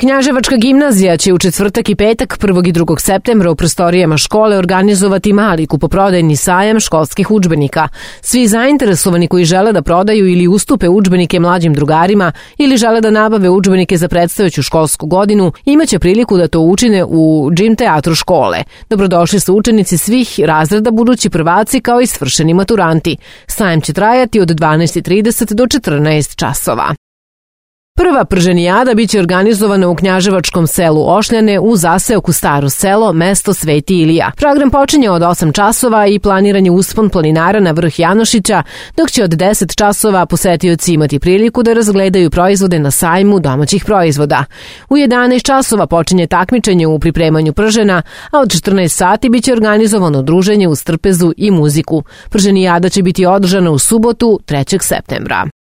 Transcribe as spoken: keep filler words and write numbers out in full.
Knjaževačka gimnazija će u četvrtak i petak prvog i drugog septembra u prostorijama škole organizovati mali kupoprodajni sajam školskih udžbenika. Svi zainteresovani koji žele da prodaju ili ustupe udžbenike mlađim drugarima ili žele da nabave udžbenike za predstojeću školsku godinu imaće priliku da to učine u džim teatru škole. Dobrodošli su učenici svih razreda, budući prvaci kao i svršeni maturanti. Sajam će trajati od dvanaest i trideset do četrnaest časova. Prva prženijada biće organizovana u knjaževačkom selu Ošljane u zaseoku Staro selo, mesto Sveti Ilija. Program počinje od osam časova i planiran je uspon planinara na vrh Janošića, dok će od deset časova posetioci imati priliku da razgledaju proizvode na sajmu domaćih proizvoda. U jedanaest časova počinje takmičenje u pripremanju pržena, a od četrnaest sati biće organizovano druženje uz trpezu i muziku. Prženijada će biti održana u subotu trećeg septembra.